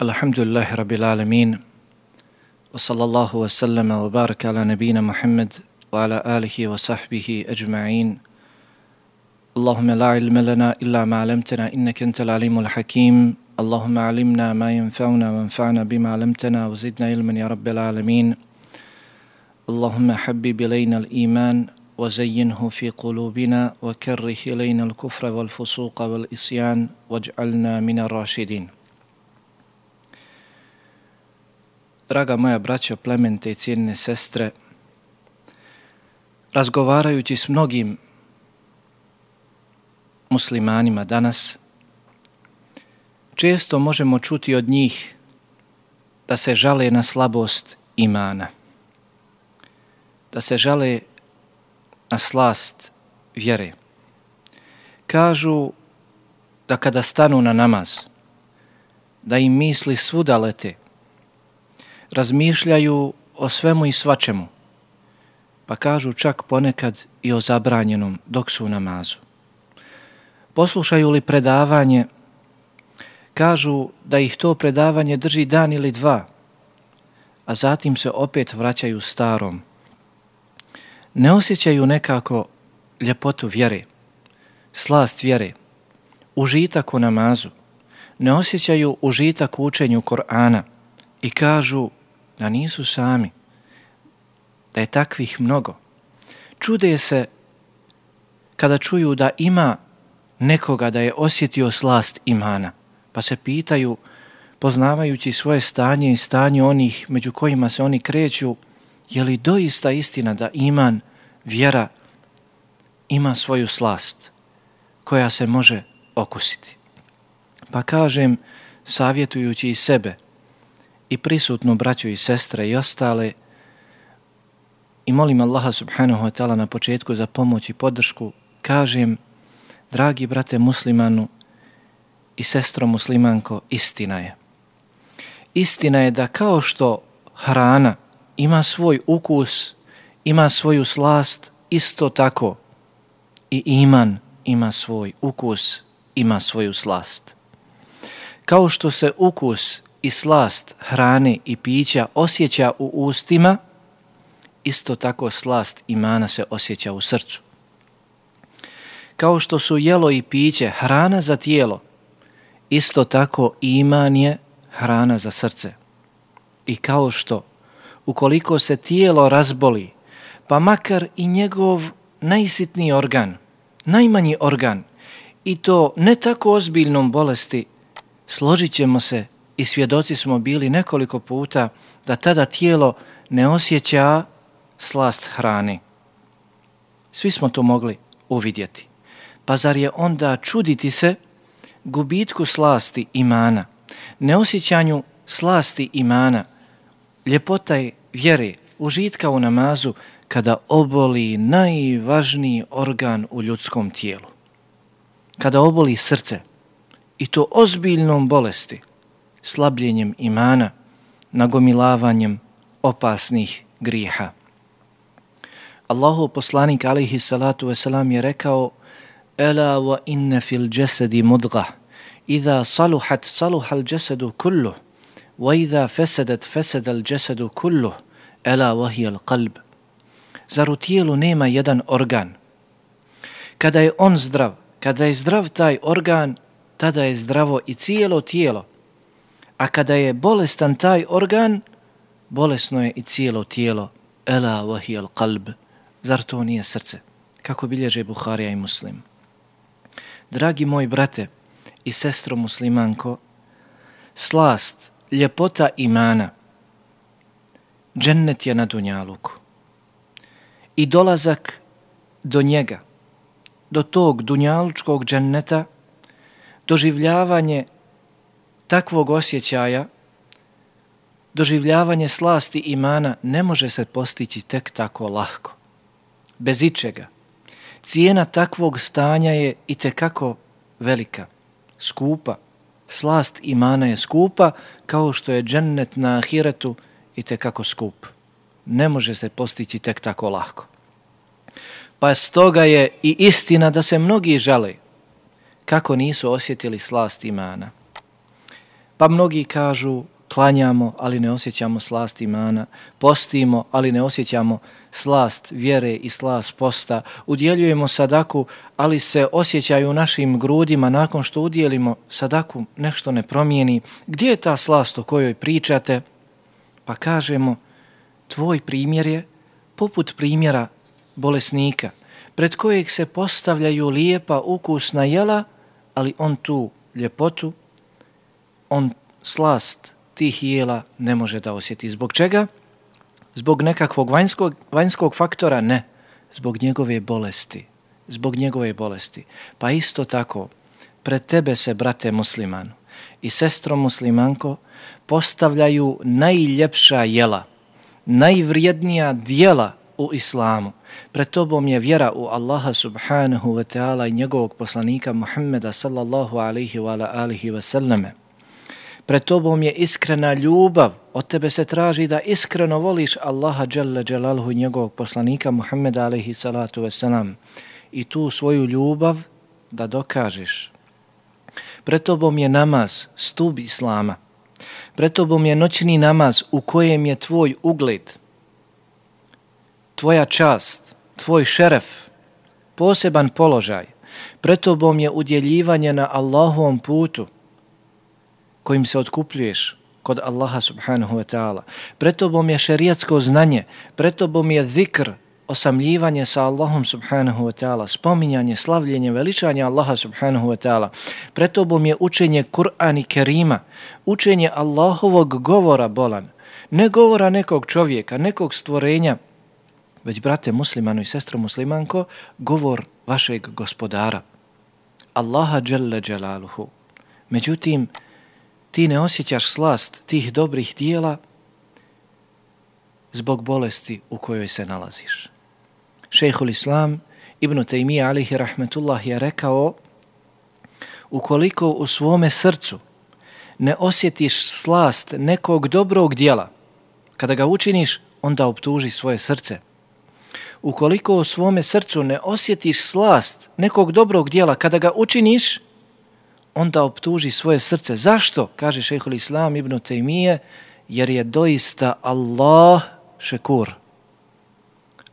Alhamdulillahi Rabbil Alamin wa sallallahu wa sallama wa baraka ala nabina Muhammad wa ala alihi wa sahbihi ajma'in. Allahumma la ilma lana illa ma 'allamtana innaka antal alimul hakim. Allahumma 'allimna ma yanfa'una wanfa'na bima 'allamtana wa zidna ilman ya Rabbil Alamin. Allahumma habbib ilayna al-iman wa zayyinhu fi qulubina wa karrih ilayna al-kufra wal fusuqa wal isyan waj'alna min ar-rashidin. Draga moja braćo, plemente i cijenine sestre, razgovarajući s mnogim muslimanima danas, često možemo čuti od njih da se žale na slabost imana, da se žale na slast vjere. Kažu da kada stanu na namaz, da im misli svuda lete, razmišljaju o svemu i svačemu, pa kažu čak ponekad i o zabranjenom dok su u namazu. Poslušaju li predavanje, kažu da ih to predavanje drži dan ili dva, a zatim se opet vraćaju starom. Ne osjećaju nekako ljepotu vjere, slast vjere, užitak u namazu, ne osjećaju užitak u učenju Kur'ana i kažu da nisu sami, da je takvih mnogo. Čude se kada čuju da ima nekoga da je osjetio slast imana, pa se pitaju, poznavajući svoje stanje i stanje onih među kojima se oni kreću, je li doista istina da iman, vjera, ima svoju slast koja se može okusiti. Pa kažem, savjetujući i sebe, i prisutnu braću i sestre i ostale, i molim Allaha subhanahu wa ta'ala na početku za pomoć i podršku, kažem, dragi brate muslimanu i sestro muslimanko, istina je. Istina je da kao što hrana ima svoj ukus, ima svoju slast, isto tako i iman ima svoj ukus, ima svoju slast. Kao što se ukus i slast hrane i pića osjeća u ustima, isto tako slast imana se osjeća u srcu. Kao što su jelo i piće hrana za tijelo, isto tako iman je hrana za srce. I kao što ukoliko se tijelo razboli, pa makar i njegov najsitniji organ, najmanji organ, i to ne tako ozbiljnom bolesti, složit ćemo se i svjedoci smo bili nekoliko puta da tada tijelo ne osjeća slast hrane. Svi smo to mogli uvidjeti. Pa zar je onda čuditi se gubitku slasti imana, neosjećanju slasti imana, ljepota vjere, užitka u namazu, kada oboli najvažniji organ u ljudskom tijelu. Kada oboli srce, i to ozbiljnom bolesti, slabljenjem imana, nagomilavanjem opasnih grijeha. Allahov poslanik alejhi salatu vesselam je rekao: "Ela wa inna fil jasadi mudghah, idha saluhat saluha al jasadu kulluh, wa idha fasadat fasada al jasadu kulluh, ela wa hiya al qalb." Zar u tijelu nema jedan organ? Kada je on zdrav, kada je zdrav taj organ, tada je zdravo i cijelo tijelo. A kada je bolestan taj organ, bolesno je i cijelo tijelo. Ela wa hiya al qalb. Zar to nije srce? Kako bilježe Buharija i Muslim. Dragi moj brate i sestro muslimanko, slast, ljepota imana, džennet je na dunjaluku. I dolazak do njega, do tog dunjalučkog dženneta, doživljavanje takvog osjećaja, doživljavanje slasti imana ne može se postići tek tako lahko, bez ičega. Cijena takvog stanja je itekako velika, skupa. Slast imana je skupa, kao što je džennet na ahiretu itekako skup. Ne može se postići tek tako lahko. Pa stoga je i istina da se mnogi žale kako nisu osjetili slast imana. Pa mnogi kažu klanjamo, ali ne osjećamo slast imana, postimo, ali ne osjećamo slast vjere i slast posta, udjeljujemo sadaku, ali se osjećaju u našim grudima nakon što udjelimo sadaku nešto ne promijeni. Gdje je ta slast o kojoj pričate? Pa kažemo, tvoj primjer je poput primjera bolesnika, pred kojeg se postavljaju lijepa ukusna jela, ali on tu ljepotu, on slast tih jela ne može da osjeti. Zbog čega? Zbog nekakvog vanjskog faktora? Ne. Zbog njegove bolesti. Zbog njegove bolesti. Pa isto tako, pred tebe se, brate muslimanu i sestro muslimanko, postavljaju najljepša jela, najvrijednija dijela u islamu. Pred tobom je vjera u Allaha subhanahu wa ta'ala i njegovog poslanika Muhammeda sallallahu alaihi wa alihi wa sallame. Pred tobom je iskrena ljubav, od tebe se traži da iskreno voliš Allaha dželle dželaluhu i njegovog poslanika Muhammeda alaihi salatu wasalam i tu svoju ljubav da dokažeš. Pred tobom je namaz, stup islama. Pred tobom je noćni namaz u kojem je tvoj ugled, tvoja čast, tvoj šeref, poseban položaj. Pred tobom je udjeljivanje na Allahovom putu kojim se otkupljuješ kod Allaha subhanahu wa ta'ala. Pred tobom je šerijatsko znanje, pred tobom je zikr, osamljivanje sa Allahom subhanahu wa ta'ala, spominjanje, slavljenje, veličanje Allaha subhanahu wa ta'ala. Pred tobom je učenje Kur'ana Kerima, učenje Allahovog govora bolan, ne govora nekog čovjeka, nekog stvorenja, već, brate muslimanu i sestro muslimanko, govor vašeg gospodara, Allaha dželle dželaluhu. Međutim, ti ne osjećaš slast tih dobrih dijela zbog bolesti u kojoj se nalaziš. Šejhul Islam Ibn Taymija alejhi rahmetullah je rekao, ukoliko u svome srcu ne osjetiš slast nekog dobrog dijela, kada ga učiniš, onda optuži svoje srce. Ukoliko u svome srcu ne osjetiš slast nekog dobrog dijela, kada ga učiniš, onda optuži svoje srce. Zašto? Kaže šejhul Islam Ibn Taymije, jer je doista Allah šekur.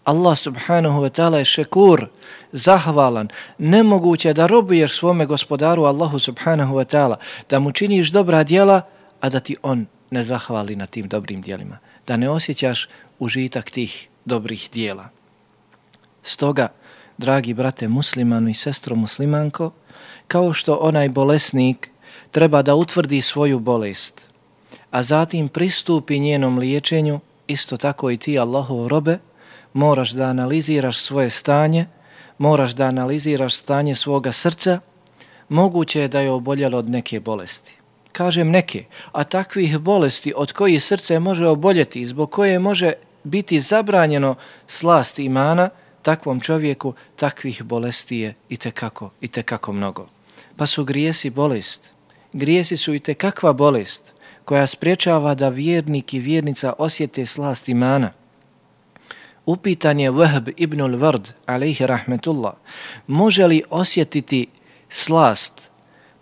Allah subhanahu wa ta'ala je šekur, zahvalan. Nemoguće da robuješ svome gospodaru Allahu subhanahu wa ta'ala, da mu činiš dobra djela, a da ti on ne zahvali na tim dobrim djelima, da ne osjećaš užitak tih dobrih djela. Stoga, dragi brate muslimanu i sestro muslimanko, kao što onaj bolesnik treba da utvrdi svoju bolest, a zatim pristupi njenom liječenju, isto tako i ti, Allahov robe, moraš da analiziraš svoje stanje, moraš da analiziraš stanje svoga srca. Moguće je da je oboljelo od neke bolesti. Kažem neke, a takvih bolesti od kojih srce može oboljeti, zbog koje može biti zabranjeno slast imana, takvom čovjeku takvih bolesti je itekako mnogo. Pa su grijesi bolest. Grijesi su itekakva bolest koja spriječava da vjernik i vjernica osjete slast imana. Upitan je Wahb ibn al-Ward, alejhi rahmetullah, može li osjetiti slast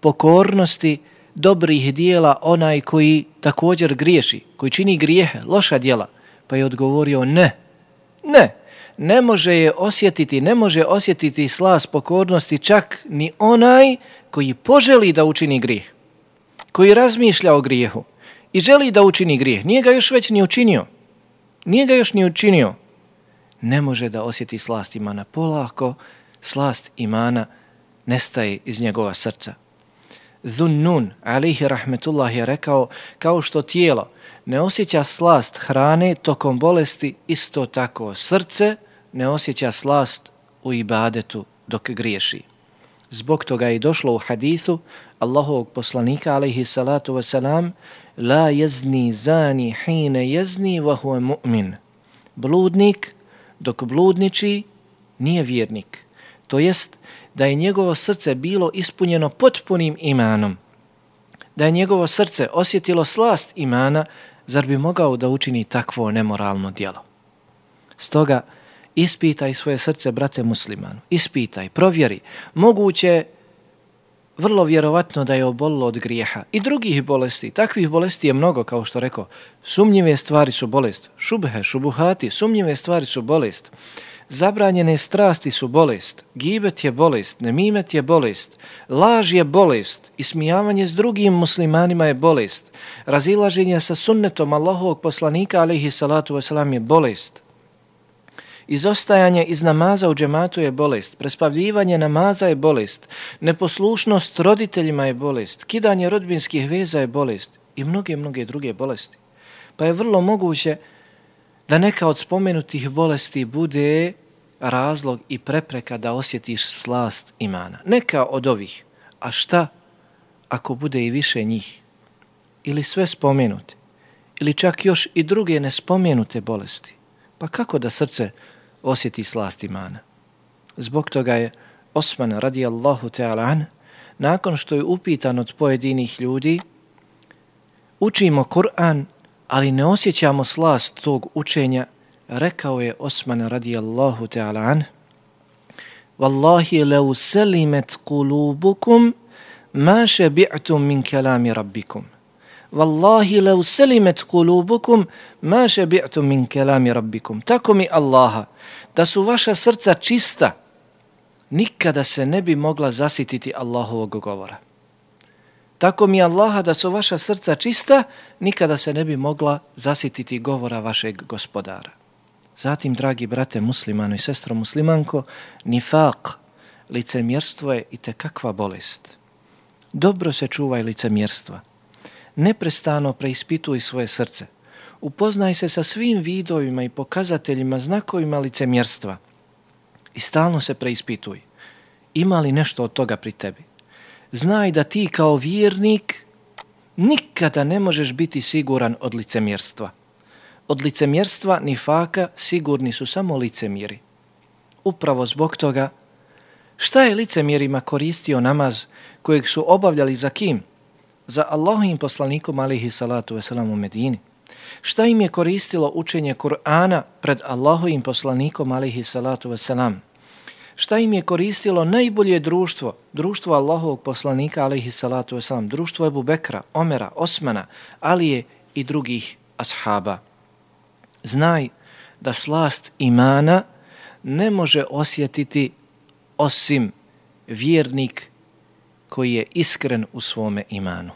pokornosti dobrih dijela onaj koji također griješi, koji čini grijehe, loša djela? Pa je odgovorio ne može je osjetiti, ne može osjetiti slast pokornosti čak ni onaj koji poželi da učini grijeh, koji razmišlja o grijehu i želi da učini grijeh, nije ga još ni učinio, ne može da osjeti slast imana. Polako slast imana nestaje iz njegova srca. Zunnun, alejhi rahmetullah, je rekao, kao što tijelo ne osjeća slast hrane tokom bolesti, isto tako srce ne osjeća slast u ibadetu dok griješi. Zbog toga je došlo u hadithu Allahovog poslanika alejhi salatu wasalam, la yazni zani hine yazni wa huwa mu'min. Bludnik dok bludniči nije vjernik. To jest da je njegovo srce bilo ispunjeno potpunim imanom, da je njegovo srce osjetilo slast imana, zar bi mogao da učini takvo nemoralno djelo? Stoga ispitaj svoje srce, brate muslimanu, ispitaj, provjeri. Moguće vrlo vjerovatno da je obolilo od grijeha i drugih bolesti. Takvih bolesti je mnogo, kao što rekao. Sumnjive stvari su bolest. Šubhe, šubuhati, sumnjive stvari su bolest. Zabranjene strasti su bolest. Gibet je bolest, nemimet je bolest. Laž je bolest. Ismijavanje s drugim muslimanima je bolest. Razilaženje sa sunnetom Allahovog poslanika alejhi salatu vesselam je bolest. Izostajanje iz namaza u džematu je bolest, prespavljivanje namaza je bolest, neposlušnost roditeljima je bolest, kidanje rodbinskih veza je bolest i mnoge druge bolesti. Pa je vrlo moguće da neka od spomenutih bolesti bude razlog i prepreka da osjetiš slast imana. Neka od ovih, a šta ako bude i više njih? Ili sve spomenute? Ili čak još i druge nespomenute bolesti? Pa kako da srce osjeti slast imana? Zbog toga je Osman radijallahu ta'ala an, nakon što je upitan od pojedinih ljudi, učimo Kur'an, ali ne osjećamo slast tog učenja, rekao je Osman radijallahu ta'ala an, Wallahi lau selimet kulubukum ma šebi'tum min kelami rabbikum. Wallahi lau selimet kulubukum ma šebi'tum min kelami rabbikum. Tako mi Allaha, da su vaša srca čista, nikada se ne bi mogla zasititi Allahovog govora. Tako mi Allaha, da su vaša srca čista, nikada se ne bi mogla zasititi govora vašeg gospodara. Zatim, dragi brate muslimano i sestro muslimanko, nifaq, licemjerstvo je itekakva bolest. Dobro se čuvaj licemjerstva. Neprestano preispituj svoje srce. Upoznaj se sa svim vidovima i pokazateljima, znakovima licemjerstva i stalno se preispituj. Ima li nešto od toga pri tebi? Znaj da ti kao vjernik nikada ne možeš biti siguran od licemjerstva. Od licemjerstva nifaka sigurni su samo licemjeri. Upravo zbog toga, šta je licemjerima koristio namaz kojeg su obavljali za kim? Za Allahovim poslanikom alejhi salatu vesselam u Medini. Šta im je koristilo učenje Kur'ana pred Allahovim poslanikom alejhi salatu vesselam? Šta im je koristilo najbolje društvo? Društvo Allahovog poslanika alejhi salatu vesselam, društvo Ebu Bekra, Omera, Osmana, Alije i drugih ashaba. Znaj da slast imana ne može osjetiti osim vjernik koji je iskren u svome imanu.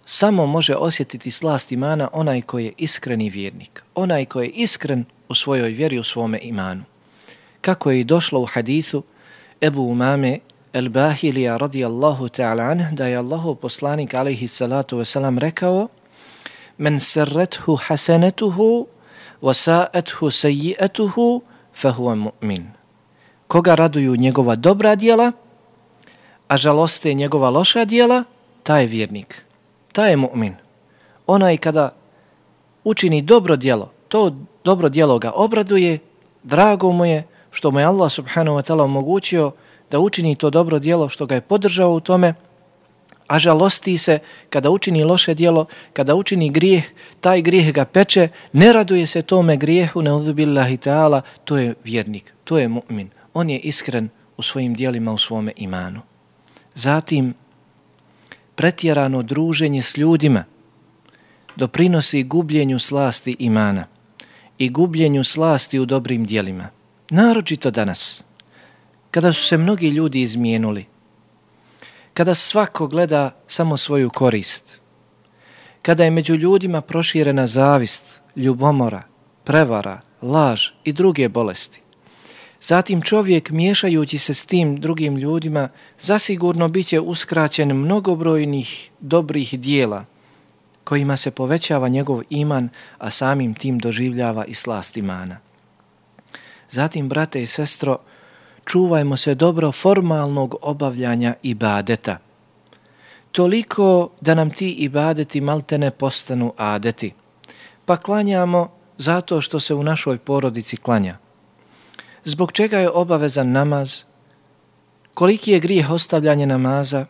Samo može osjetiti slast imana onaj koji je iskreni vjernik, onaj koji je iskren u svojoj vjeri, u svome imanu. Kako je došlo u hadithu Ebu Umame el-Bahilija radijallahu ta'ala anh, da je Allahov poslanik alejhi salatu vesselam rekao: Men serrethu hasanetuhu wa sa'athu sayyi'atuhu fahuwa mu'min. Koga raduju njegova dobra djela, a žaloste njegova loša djela, taj je vjernik, taj je mu'min. Onaj kada učini dobro djelo, to dobro djelo ga obraduje, drago mu je što mu je Allah subhanahu wa ta'ala omogućio da učini to dobro djelo, što ga je podržao u tome, a žalosti se kada učini loše djelo, kada učini grijeh, taj grijeh ga peče, ne raduje se tome grijehu, neudhu billahi ta'ala, to je vjernik, to je mu'min. On je iskren u svojim djelima, u svome imanu. Zatim, pretjerano druženje s ljudima doprinosi gubljenju slasti imana i gubljenju slasti u dobrim djelima. Naročito danas, kada su se mnogi ljudi izmijenuli, kada svako gleda samo svoju korist, kada je među ljudima proširena zavist, ljubomora, prevara, laž i druge bolesti. Zatim čovjek, miješajući se s tim drugim ljudima, zasigurno bit će uskraćen mnogobrojnih dobrih dijela kojima se povećava njegov iman, a samim tim doživljava i slast imana. Zatim, brate i sestro, čuvajmo se dobro formalnog obavljanja ibadeta. Toliko da nam ti ibadeti maltene postanu adeti. Pa klanjamo zato što se u našoj porodici klanja. Zbog čega je obavezan namaz? Koliki je grijeh ostavljanje namaza?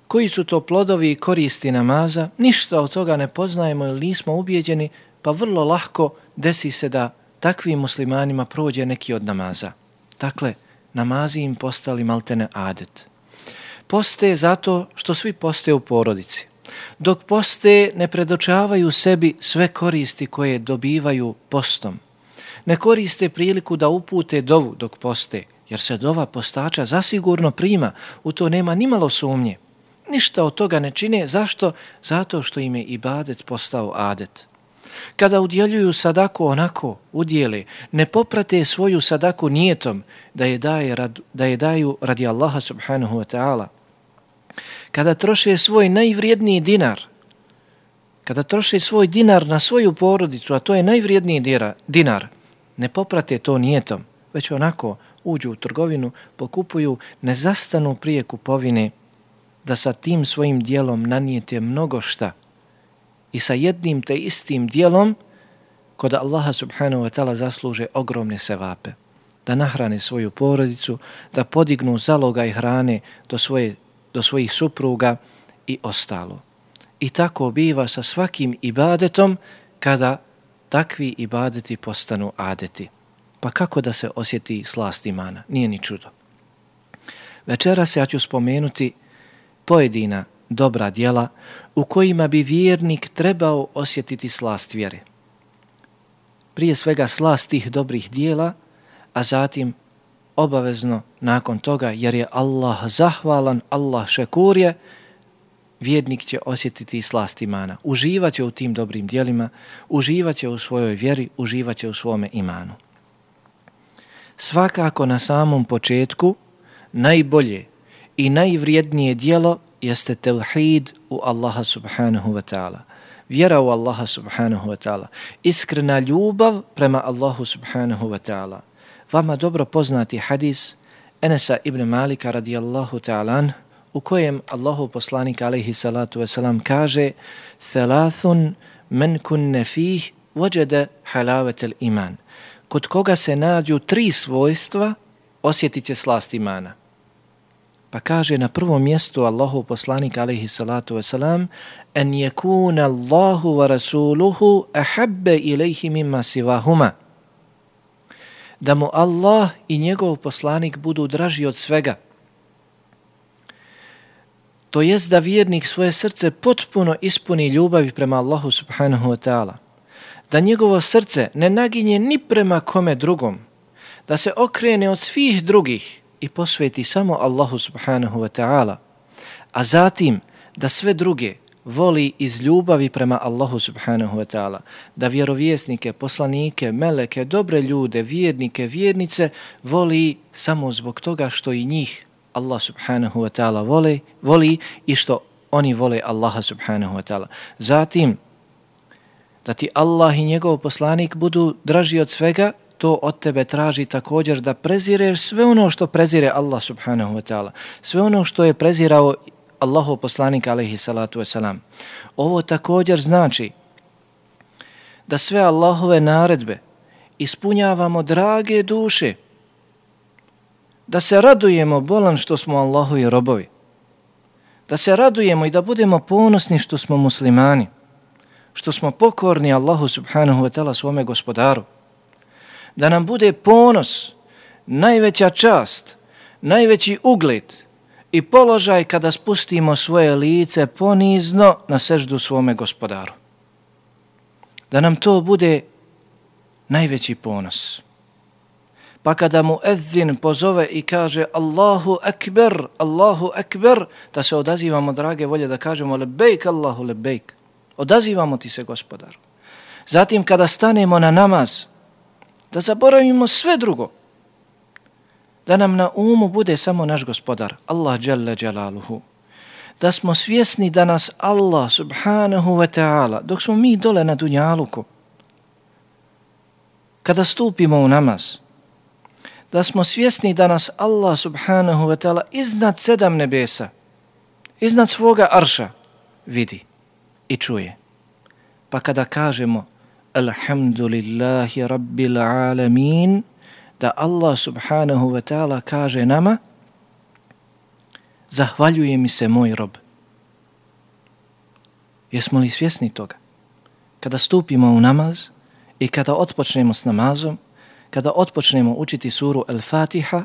Koji su to plodovi i koristi namaza? Ništa od toga ne poznajemo ili nismo ubijeđeni, pa vrlo lahko desi se da takvim muslimanima prođe neki od namaza. Dakle, namazi im postali maltene adet. Poste zato što svi poste u porodici. Dok poste ne predočavaju sebi sve koristi koje dobivaju postom. Ne koriste priliku da upute dovu dok poste, jer se dova postača zasigurno prima, u to nema nimalo sumnje. Ništa od toga ne čine, zašto? Zato što im je ibadet postao adet. Kada udjeljuju sadaku onako, udjele, ne poprate svoju sadaku nijetom da je daju radi Allaha subhanahu wa ta'ala. Kada troše svoj najvrijedniji dinar, kada troše svoj dinar na svoju porodicu, a to je najvrijedniji dinar, ne poprate to nijetom, već onako uđu u trgovinu, pokupuju, ne zastanu prije kupovine, da sa tim svojim dijelom nanijete mnogo šta i sa jednim te istim dijelom kod Allaha subhanahu wa ta'ala zasluže ogromne sevape, da nahrane svoju porodicu, da podignu zalogaj hrane do svojih supruga i ostalo. I tako biva sa svakim ibadetom kada takvi ibadeti postanu adeti. Pa kako da se osjeti slast imana? Nije ni čudo. Večeras ja ću spomenuti pojedina dobra djela u kojima bi vjernik trebao osjetiti slast vjere. Prije svega slast tih dobrih djela, a zatim obavezno nakon toga, jer je Allah zahvalan, Allah šekur je, vjernik će osjetiti slast imana. Uživaće u tim dobrim djelima, uživaće u svojoj vjeri, uživaće u svome imanu. Svakako na samom početku najbolje i najvrijednije djelo jeste tevhid u Allaha subhanahu wa ta'ala. Vjera u Allaha subhanahu wa ta'ala. Iskrena ljubav prema Allahu subhanahu wa ta'ala. Vama dobro poznati hadis Enesa ibn Malika radijallahu ta'ala u kojem Allahu poslanik alejhi salatu wasalam kaže: "Thalathun men kunne fih wajada halawatal iman." Kod koga se nađu 3 svojstva, osjetit će slast imana. Pa kaže na prvom mjestu Allahu poslanik alejhi salatu wasalam: "En yakuna Allahu wa rasuluhu ahabba ilayhi mimma siwahuma." Da mu Allah i njegov poslanik budu draži od svega. To jest da vjernik svoje srce potpuno ispuni ljubavi prema Allahu subhanahu wa ta'ala. Da njegovo srce ne naginje ni prema kome drugom. Da se okrene od svih drugih i posveti samo Allahu subhanahu wa ta'ala. A zatim da sve druge voli iz ljubavi prema Allahu subhanahu wa ta'ala. Da vjerovjesnike, poslanike, meleke, dobre ljude, vjernike, vjernice voli samo zbog toga što i njih Allah subhanahu wa ta'ala voli i što oni vole Allaha subhanahu wa ta'ala. Zatim, da ti Allah i njegov poslanik budu draži od svega, to od tebe traži također da prezireš sve ono što prezire Allah subhanahu wa ta'ala. Sve ono što je prezirao Allahov poslanik alejhi salatu wasalam. Ovo također znači da sve Allahove naredbe ispunjavamo drage duše, da se radujemo bolan što smo Allahovi robovi, da se radujemo i da budemo ponosni što smo muslimani, što smo pokorni Allahu subhanahu wa ta'ala svome gospodaru, da nam bude ponos, najveća čast, najveći ugled i položaj kada spustimo svoje lice ponizno na seždu svome gospodaru. Da nam to bude najveći ponos. Pa kada mu ezzin pozove i kaže Allahu akbar, da se odazivamo, drage volje, da kažemo lebejk Allahu lebejk. Odazivamo ti se, gospodaru. Zatim kada stanemo na namaz, da zaboravimo sve drugo. Da nam na umu bude samo naš gospodar, Allah dželle dželaluhu. Da smo svjesni da nas Allah subhanahu wa ta'ala, dok smo mi dole na dunjaluku, kada stupimo u namaz, da smo svjesni da nas Allah subhanahu wa ta'ala iznad 7 nebesa, iznad svoga arša vidi i čuje. Pa kada kažemo alhamdulillahi rabbil alamin, da Allah subhanahu wa ta'ala kaže nama zahvaljuje mi se moj rob. Jesmo li svjesni toga? Kada stupimo u namaz i kada otpočnemo s namazom, kada otpočnemo učiti suru Al-Fatiha,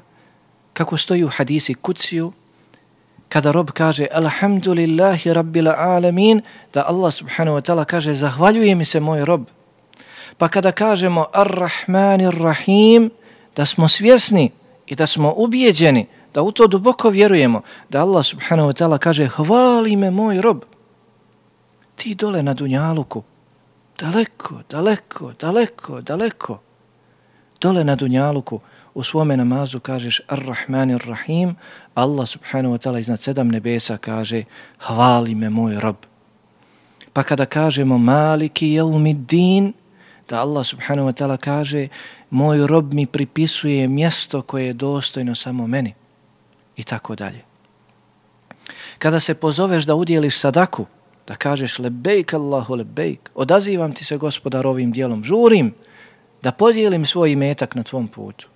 kako stoji u hadisi Kudsiju, kada rob kaže alhamdulillahi rabbil alamin, da Allah subhanahu wa ta'ala kaže zahvaljuje mi se moj rob. Pa kada kažemo ar-Rahmanir Rahim, da smo svjesni i da smo ubijeđeni, da u to duboko vjerujemo, da Allah subhanahu wa ta'ala kaže hvali me moj rob. Ti dole na dunjaluku, daleko, dole na dunjaluku, u svome namazu kažeš ar-Rahmanir Rahim, Allah subhanahu wa ta'ala iznad 7 nebesa kaže hvali me moj rob. Pa kada kažemo Maliki jevmiddin, da Allah subhanahu wa ta'ala kaže moj rob mi pripisuje mjesto koje je dostojno samo meni i tako dalje. Kada se pozoveš da udjeliš sadaku, da kažeš lebejk Allahu lebejk, odazivam ti se Gospodar ovim dijelom, žurim da podijelim svoj imetak na tvom putu.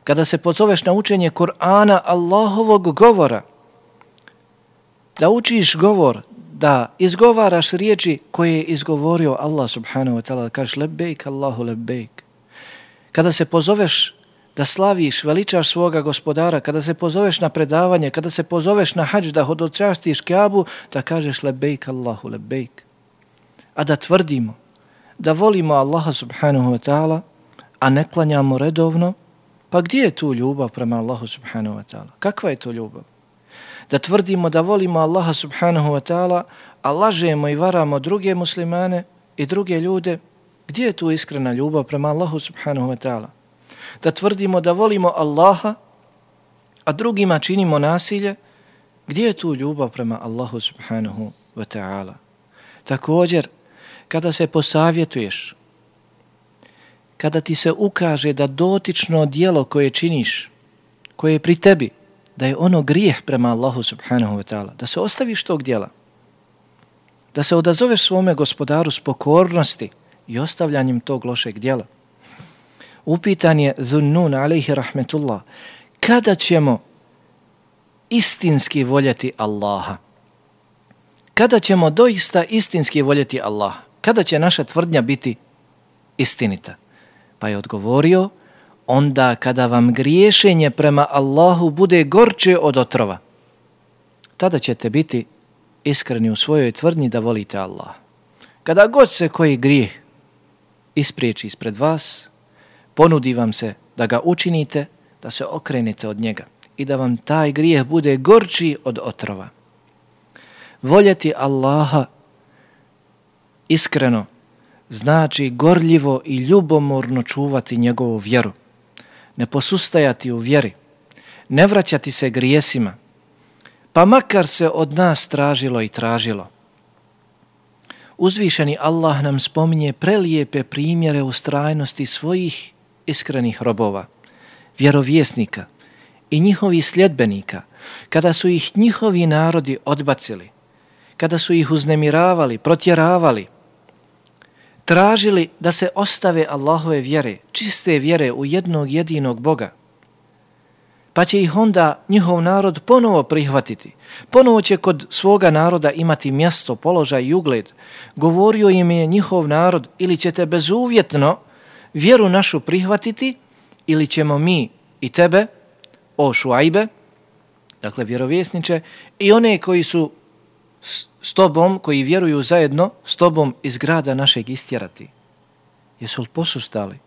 Kada se pozoveš na učenje Kur'ana, Allahovog govora, da učiš govor, da izgovaraš riječi koje je izgovorio Allah subhanahu wa ta'ala, da kažeš lebejk Allahu lebejk. Kada se pozoveš da slaviš, veličaš svoga Gospodara, kada se pozoveš na predavanje, kada se pozoveš na hadž, da hodočastiš Kjabu, da kažeš lebejk Allahu lebejk. A da tvrdimo, da volimo Allaha subhanahu wa ta'ala, a ne klanjamo redovno, pa gdje je tu ljubav prema Allahu subhanahu wa ta'ala? Kakva je to ljubav? Da tvrdimo da volimo Allaha subhanahu wa ta'ala, a lažemo i varamo druge muslimane i druge ljude, gdje je tu iskrena ljubav prema Allahu subhanahu wa ta'ala? Da tvrdimo da volimo Allaha, a drugima činimo nasilje, gdje je tu ljubav prema Allahu subhanahu wa ta'ala? Također, kada se posavjetuješ, kada ti se ukaže da dotično djelo koje činiš, koje je pri tebi, da je ono grijeh prema Allahu subhanahu wa ta'ala, da se ostaviš tog djela, da se odazoveš svome Gospodaru s pokornosti i ostavljanjem tog lošeg djela. Upitan je Zunnun alejhi rahmetullah, kada ćemo istinski voljeti Allaha? Kada ćemo doista istinski voljeti Allaha? Kada će naša tvrdnja biti istinita? Pa je odgovorio, onda kada vam griješenje prema Allahu bude gorče od otrova, tada ćete biti iskreni u svojoj tvrdnji da volite Allaha. Kada god se koji grijeh ispriječi ispred vas, ponudi vam se da ga učinite, da se okrenete od njega i da vam taj grijeh bude gorči od otrova. Voljeti Allaha iskreno znači gorljivo i ljubomorno čuvati njegovu vjeru, ne posustajati u vjeri, ne vraćati se grijesima, pa makar se od nas tražilo i tražilo. Uzvišeni Allah nam spominje prelijepe primjere ustrajnosti svojih iskrenih robova, vjerovjesnika i njihovih sljedbenika, kada su ih njihovi narodi odbacili, kada su ih uznemiravali, protjeravali, tražili da se ostave Allahove vjere, čiste vjere u jednog jedinog Boga, pa će ih onda njihov narod ponovo prihvatiti. Ponovo će kod svoga naroda imati mjesto, položaj i ugled. Govorio im je njihov narod, ili ćete bezuvjetno vjeru našu prihvatiti, ili ćemo mi i tebe, o Šuajbe, dakle vjerovjesniče, i one koji su s tobom, koji vjeruju zajedno s tobom iz grada našeg istjerati. Jesu li posustali?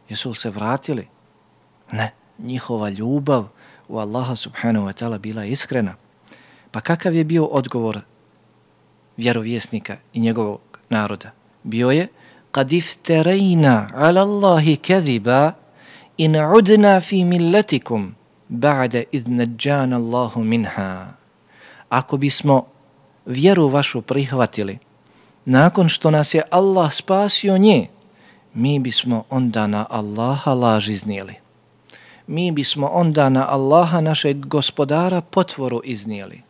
Jesu li se vratili? Ne, njihova ljubav u Allaha subhanahu wa ta'ala bila iskrena. Pa kakav je bio odgovor vjerovjesnika i njegovog naroda? Bio je kad ifterejna ala Allahi kadhiba in udna fi milletikum ba'da idh najjana Allahu minha. Ako bismo vjeru vašu prihvatili nakon što nas je Allah spasio nje, mi bismo onda na Allaha laž iznijeli. Mi bismo onda na Allaha našeg Gospodara potvoru iznijeli.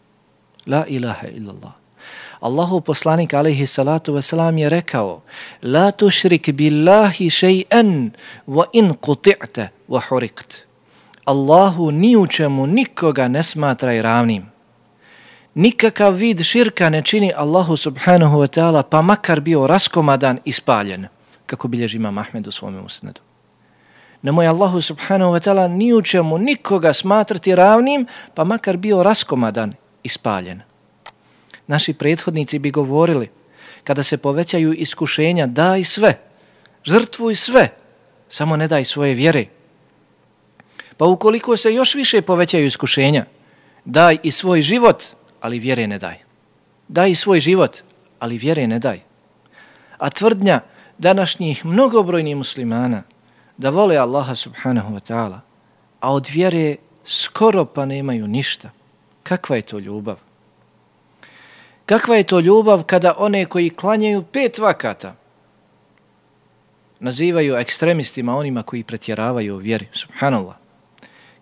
La ilaha illallah. Allahu poslanik alejhi salatu vesselam je rekao: La tušrik billahi shay'an wa in quti'ta wa hurikt. Allahu ni u čemu nikoga ne smatraj ravnim. Nikakav vid širka ne čini Allahu subhanahu wa ta'ala, pa makar bio raskomadan i spaljen, kako bilježi Imam Ahmed u svome musnedu. Nemoj Allahu subhanahu wa ta'ala ni u čemu nikoga smatrati ravnim, pa makar bio raskomadan ispaljena. Naši prethodnici bi govorili, kada se povećaju iskušenja, daj sve, žrtvuj sve, samo ne daj svoje vjere. Pa ukoliko se još više povećaju iskušenja, daj i svoj život, ali vjere ne daj. Daj i svoj život, ali vjere ne daj. A tvrdnja današnjih mnogobrojnih muslimana da vole Allaha subhanahu wa ta'ala, a od vjere skoro pa nemaju ništa. Kakva je to ljubav? Kakva je to ljubav kada one koji klanjaju 5 vakata nazivaju ekstremistima onima koji pretjeravaju u vjeri, subhanallah.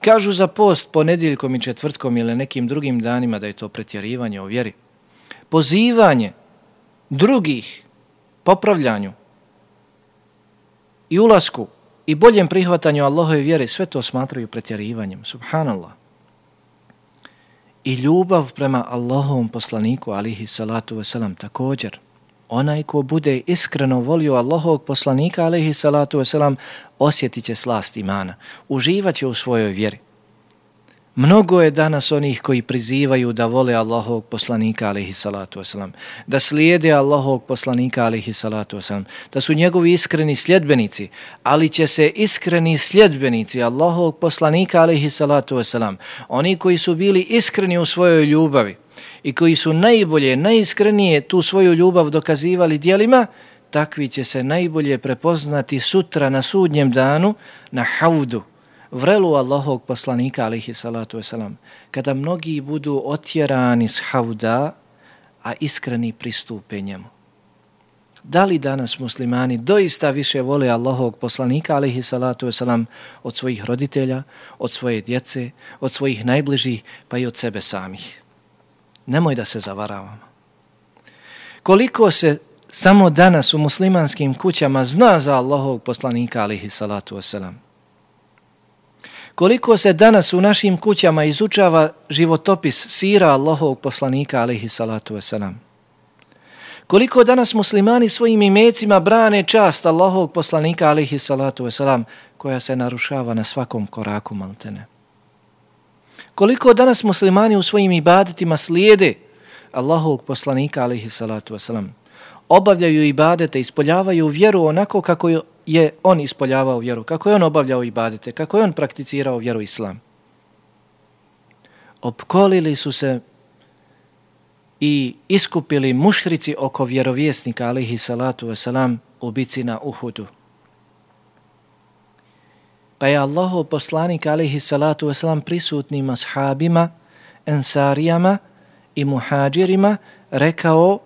Kažu za post ponedjeljkom i četvrtkom ili nekim drugim danima da je to pretjerivanje u vjeri. Pozivanje drugih popravljanju i ulasku i boljem prihvatanju Allahove vjere, sve to smatraju pretjerivanjem, subhanallah. I ljubav prema Allahovom poslaniku, alihi salatu wasalam, također. Onaj ko bude iskreno volio Allahovog poslanika, alihi salatu wasalam, osjetit će slast imana, uživat će u svojoj vjeri. Mnogo je danas onih koji prizivaju da vole Allahovog poslanika, alihi salatu wasalam, da slijede Allahovog poslanika, alihi salatu wasalam, da su njegovi iskreni sljedbenici, ali će se iskreni sljedbenici Allahovog poslanika, alihi salatu wasalam, oni koji su bili iskreni u svojoj ljubavi i koji su najbolje, najiskrenije tu svoju ljubav dokazivali djelima, takvi će se najbolje prepoznati sutra na sudnjem danu na haudu, vrelu Allahovog poslanika, alihi salatu wasalam, kada mnogi budu otjerani s hauda, a iskreni pristupe njemu. Da li danas muslimani doista više vole Allahovog poslanika, alihi salatu wasalam, od svojih roditelja, od svoje djece, od svojih najbližih, pa i od sebe samih? Nemoj da se zavaravamo. Koliko se samo danas u muslimanskim kućama zna za Allahovog poslanika, alihi salatu wasalam. Koliko se danas u našim kućama izučava životopis sira Allahovog poslanika, alihi salatu wasalam. Koliko danas muslimani svojim imecima brane čast Allahovog poslanika, alihi salatu wasalam, koja se narušava na svakom koraku maltene. Koliko danas muslimani u svojim ibadetima slijede Allahovog poslanika, alihi salatu wasalam, obavljaju ibadete, ispoljavaju vjeru onako kako je on ispoljavao vjeru, kako je on obavljao ibadete, kako je on prakticirao vjeru islam. Opkolili su se i iskupili mušrici oko vjerovjesnika, alihi salatu wasalam, u bici na Uhudu. Pa je Allahov poslanik, alihi salatu wasalam, prisutnim ashabima, ensarijama i muhađirima rekao: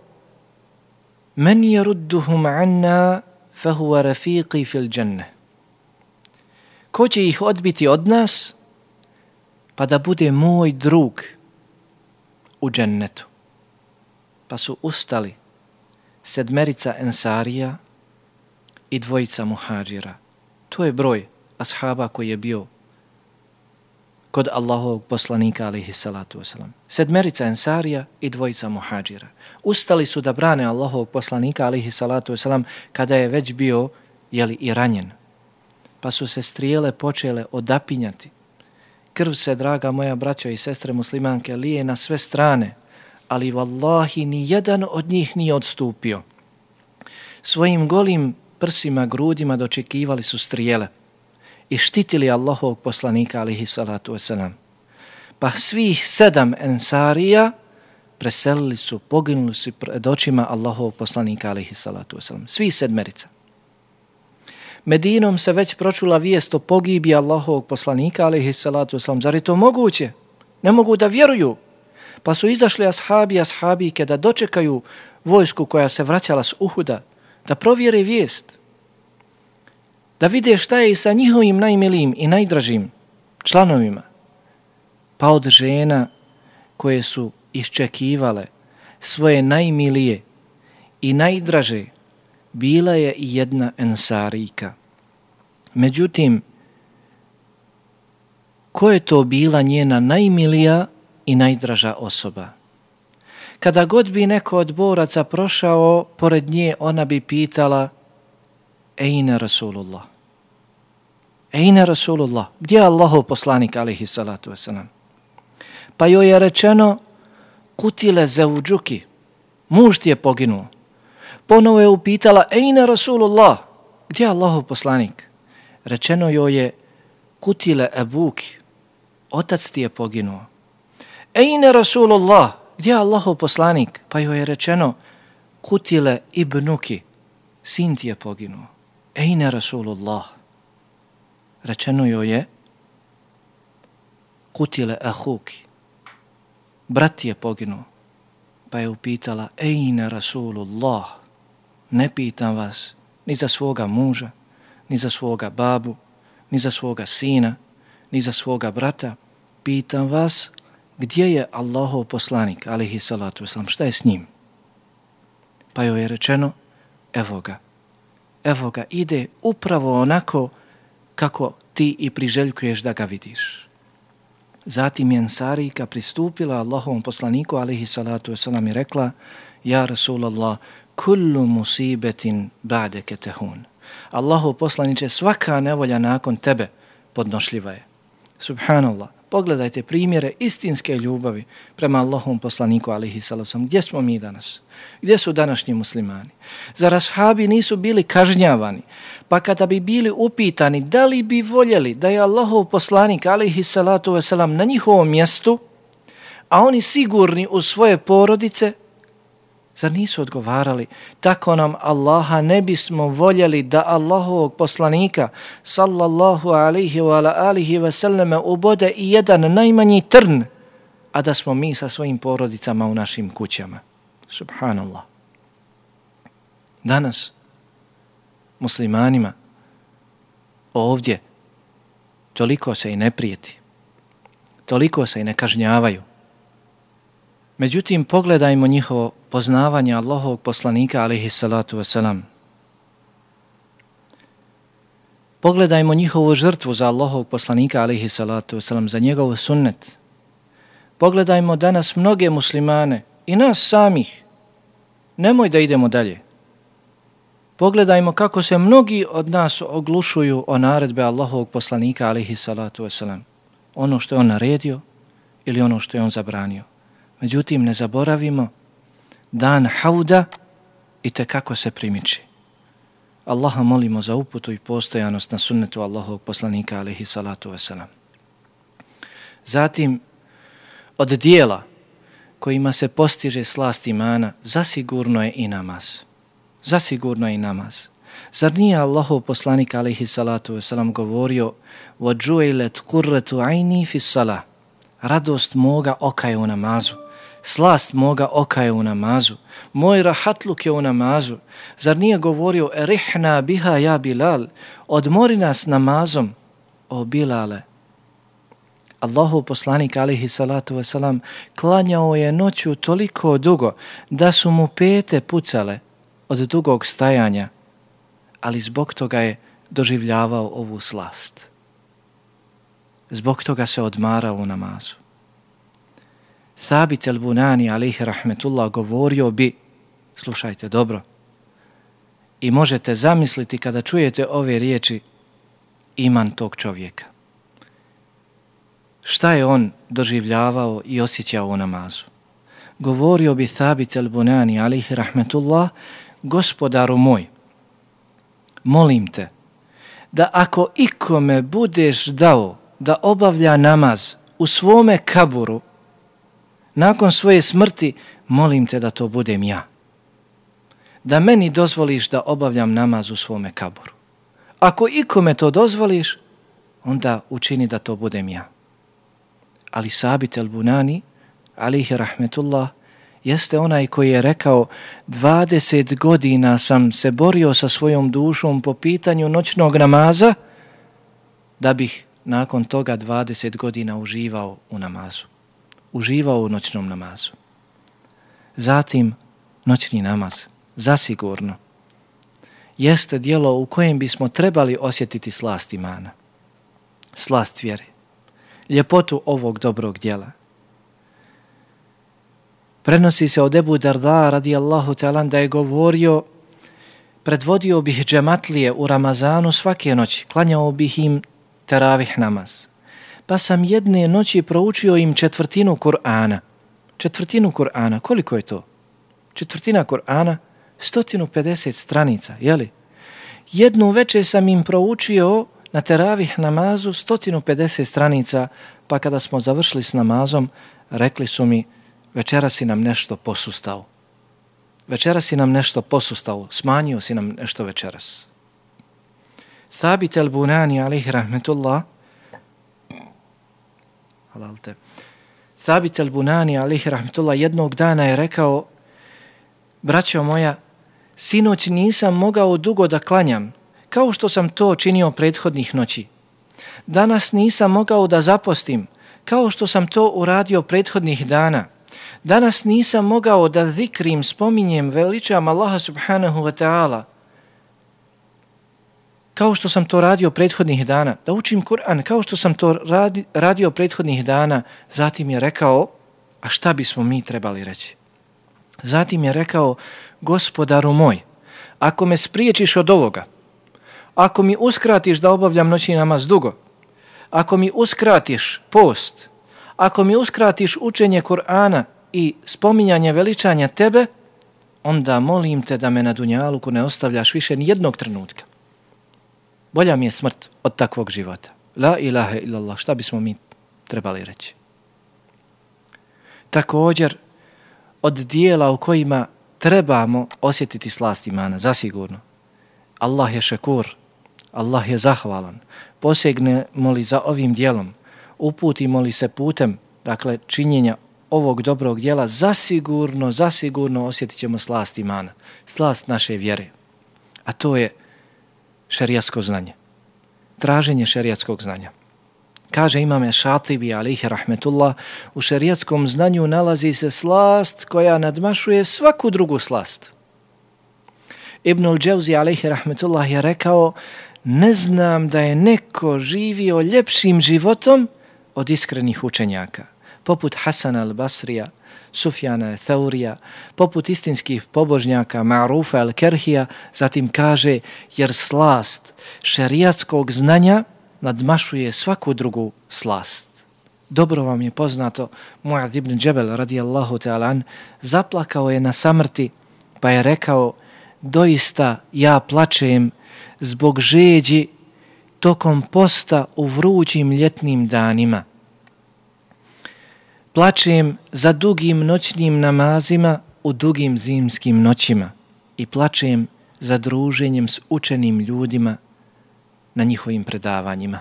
men yarudduhum anna fahuwa rafiqi fil dženne. Ko će ih odbiti od nas, pa da bude moj drug u džennetu. Pa su ustali 7 ensarija i 2 muhađira. To je broj ashaba koji je bio kod Allahovog poslanika, alihi salatu wasalam. 7 ensarija i 2 muhađira. Ustali su da brane Allahovog poslanika, alihi salatu wasalam, kada je već bio, i ranjen. Pa su se strijele počele odapinjati. Krv se, draga moja braćo i sestre muslimanke, lije na sve strane, ali vallahi ni jedan od njih nije odstupio. Svojim golim prsima, grudima dočekivali su strijele i štitili Allahovog poslanika, alihi salatu wasalam. Pa svih 7 ensarija preselili su, poginuli su pred očima Allahovog poslanika, alihi salatu wasalam. Svi 7. Medinom se već pročula vijest o pogibiji Allahovog poslanika, alihi salatu wasalam. Zar je to moguće? Ne mogu da vjeruju. Pa su izašli ashabike da dočekaju vojsku koja se vraćala s Uhuda, da provjere vijest, da vide šta je i sa njihovim najmilijim i najdražim članovima. Pa od žena koje su iščekivale svoje najmilije i najdraže, bila je i jedna ensarika. Međutim, ko je to bila njena najmilija i najdraža osoba? Kada god bi neko od boraca prošao pored nje, ona bi pitala: Ejne Rasulullah? Ejne Rasulullah? Gdje je Allahov poslanik, alihi salatu wasalam? Pa joj je rečeno: kutile zauđuki, muž ti je poginuo. Ponovo je upitala, ejne Rasulullah, gdje je Allahov poslanik? Rečeno joj je, kutile ebuki, otac ti je poginuo. Ejne Rasulullah, gdje je Allahov poslanik? Pa joj je rečeno, kutile ibnuki, sin ti je poginuo. Ejne Rasulullah. Rečeno joj je, kutile ahuki, brat ti je poginuo. Pa je upitala, ejne Rasulullah, ne pitam vas ni za svoga muža, ni za svoga babu, ni za svoga sina, ni za svoga brata. Pitam vas, gdje je Allahov poslanik, alejhi salatu vesselam, šta je s njim? Pa joj je rečeno, evo ga, ide upravo onako kako ti i priželjkuješ da ga vidiš. Zatim je Ensarika pristupila Allahovom poslaniku, alejhi salatu vesselam, i rekla, ja Rasulallah, kullu musibetin ba'deke tehun. Allahov poslaniče, svaka nevolja nakon tebe podnošljiva je. Subhanallah. Pogledajte primjere istinske ljubavi prema Allahovom poslaniku, alejhi salatu vesselam. Gdje smo mi danas? Gdje su današnji muslimani? Zar ashabi nisu bili kažnjavani? Pa kada bi bili upitani da li bi voljeli da je Allahov poslanik, alejhi salatu vesselam, na njihovom mjestu, a oni sigurni u svoje porodice, zar nisu odgovarali, tako nam Allaha ne bismo voljeli da Allahovog poslanika sallallahu alaihi wa alihi wa sallame ubode i jedan najmanji trn, a da smo mi sa svojim porodicama u našim kućama. Subhanallah. Danas muslimanima ovdje toliko se i ne prijeti, toliko se i ne kažnjavaju. Međutim, pogledajmo njihovo poznavanje Allahovog poslanika, alejhi salatu vesselam. Pogledajmo njihovu žrtvu za Allahovog poslanika, alejhi salatu vesselam, za njegov sunnet. Pogledajmo danas mnoge muslimane i nas samih. Nemoj da idemo dalje. Pogledajmo kako se mnogi od nas oglušuju o naredbe Allahovog poslanika, alejhi salatu vesselam. Ono što je on naredio ili ono što je on zabranio. Međutim, ne zaboravimo, dan hauda i tekako se primiči. Allaha molimo za uputu i postojanost na sunnetu Allahovog poslanika, alejhi salatu vesselam. Zatim, od dijela kojima se postiže slast imana, zasigurno je i namaz. Zasigurno je i namaz. Zar nije Allahov poslanik, alejhi salatu vesselam, govorio وَجُعِلَتْ قُرَّةُ عَيْنِي فِي الصَّلَةِ, radost moga oka je u namazu, slast moga oka je u namazu, moj rahatluk je u namazu. Zar nije govorio erihna biha ja Bilal, odmori nas namazom, o Bilale. Allahov poslanik, alejhi salatu vesselam, klanjao je noću toliko dugo da su mu pete pucale od dugog stajanja, ali zbog toga je doživljavao ovu slast. Zbog toga se odmarao u namazu. Sabit el-Bunani, alejhi rahmetullah, govorio bi, slušajte dobro, i možete zamisliti kada čujete ove riječi, iman tog čovjeka. Šta je on doživljavao i osjećao u namazu? Govorio bi Sabit el-Bunani, alejhi rahmetullah, gospodaru moj, molim te da ako ikome budeš dao da obavlja namaz u svome kaburu, nakon svoje smrti, molim te da to budem ja. Da meni dozvoliš da obavljam namaz u svome kaburu. Ako ikome to dozvoliš, onda učini da to budem ja. Ali Sabit el-Bunani, alejhi rahmetullah, jeste onaj koji je rekao 20 godina sam se borio sa svojom dušom po pitanju noćnog namaza, da bih nakon toga 20 godina uživao u namazu. Uživao u noćnom namazu. Zatim, noćni namaz, zasigurno, jeste djelo u kojem bismo trebali osjetiti slast imana, slast vjere, ljepotu ovog dobrog djela. Prenosi se od Ebu Darda, radijallahu ta'ala, da je govorio, predvodio bih džematlije u Ramazanu svake noći, klanjao bih im teravih namaz. Pa sam jedne noći proučio im 1/4 Kur'ana. četvrtinu Kur'ana. Koliko je to? Četvrtina Kur'ana, 150 stranica, jeli? Jednu večer sam im proučio na teravih namazu 150 stranica, pa kada smo završili s namazom, rekli su mi, večera si nam nešto posustao. Večera si nam nešto posustao, smanjio si nam nešto večeras. Thabit al-Bunani, alaihi rahmetullah, Thabit al-Bunani, alaihi rahmetullah, jednog dana je rekao, braćo moja, sinoć nisam mogao dugo da klanjam, kao što sam to činio prethodnih noći. Danas nisam mogao da zapostim, kao što sam to uradio prethodnih dana. Danas nisam mogao da zikrim, spominjem, veličam Allaha subhanahu wa ta'ala, kao što sam to radio prethodnih dana, da učim Kur'an, kao što sam to radio prethodnih dana. Zatim je rekao, a šta bismo mi trebali reći? Zatim je rekao, gospodaru moj, ako me spriječiš od ovoga, ako mi uskratiš da obavljam noćni namaz dugo, ako mi uskratiš post, ako mi uskratiš učenje Kur'ana i spominjanje veličanja tebe, onda molim te da me na dunjaluku ne ostavljaš više ni jednog trenutka. Bolja mi je smrt od takvog života. La ilaha illallah, šta bismo mi trebali reći? Također, od dijela u kojima trebamo osjetiti slast imana, zasigurno. Allah je šekur, Allah je zahvalan. Posegnemo li za ovim dijelom, uputimo li se putem, dakle, činjenja ovog dobrog dijela, zasigurno osjetit ćemo slast imana, slast naše vjere. A to je šerijatsko znanje, traženje šerijatskog znanja. Kaže imame Šatibi, alaihi rahmetullah, u šerijatskom znanju nalazi se slast koja nadmašuje svaku drugu slast. Ibnul Dževzi, alaihi rahmetullah, je rekao, ne znam da je neko živio ljepšim životom od iskrenih učenjaka, poput Hasana al-Basrija, Sufjana Thaurija, poput istinskih pobožnjaka Ma'rufa al-Kerhija. Zatim kaže, jer slast šerijatskog znanja nadmašuje svaku drugu slast. Dobro vam je poznato, Mu'adh ibn Džebel radijallahu ta'ala an zaplakao je na samrti, pa je rekao, doista ja plačem zbog žeđi tokom posta u vrućim ljetnim danima. Plačem za dugim noćnim namazima u dugim zimskim noćima i plačem za druženjem s učenim ljudima na njihovim predavanjima.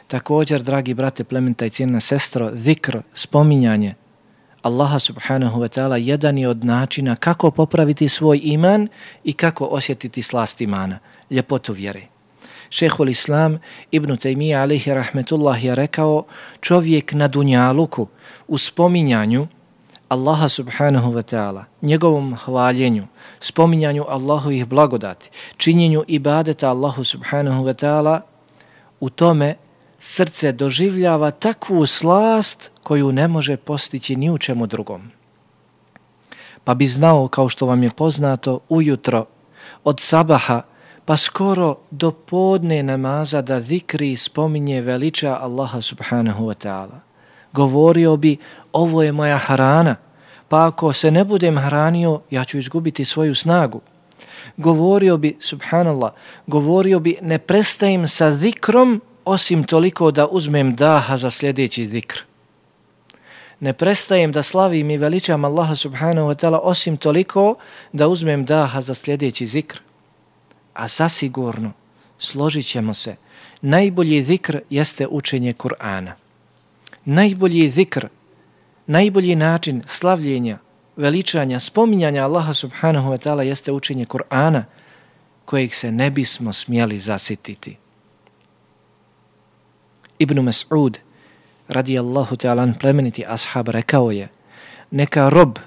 Također, dragi brate, plementa i cijena sestro, zikr, spominjanje Allaha subhanahu wa ta'ala jedan je od načina kako popraviti svoj iman i kako osjetiti slast imana, ljepotu vjere. Šehhul Islam Ibn Taymija alaihi rahmetullah je rekao, čovjek na dunjaluku u spominjanju Allaha subhanahu wa ta'ala, njegovom hvaljenju, spominjanju Allahovih blagodati, činjenju ibadeta Allahu subhanahu wa ta'ala, u tome srce doživljava takvu slast koju ne može postići ni u čemu drugom. Pa bi znao, kao što vam je poznato, ujutro od sabaha pa skoro do podne namaza da zikri i spominje veliča Allaha subhanahu wa ta'ala. Govorio bi, ovo je moja hrana, pa ako se ne budem hranio, ja ću izgubiti svoju snagu. Govorio bi, subhanallah, ne prestajem sa zikrom osim toliko da uzmem daha za sljedeći zikr. Ne prestajem da slavim i veličam Allaha subhanahu wa ta'ala osim toliko da uzmem daha za sljedeći zikr. A zasigurno, složit ćemo se, najbolji zikr jeste učenje Kur'ana. Najbolji zikr, najbolji način slavljenja, veličanja, spominjanja Allaha subhanahu wa ta'ala jeste učenje Kur'ana, kojeg se ne bismo smjeli zasititi. Ibn Mas'ud, radijallahu ta'ala, plemeniti ashab, rekao je, neka rob,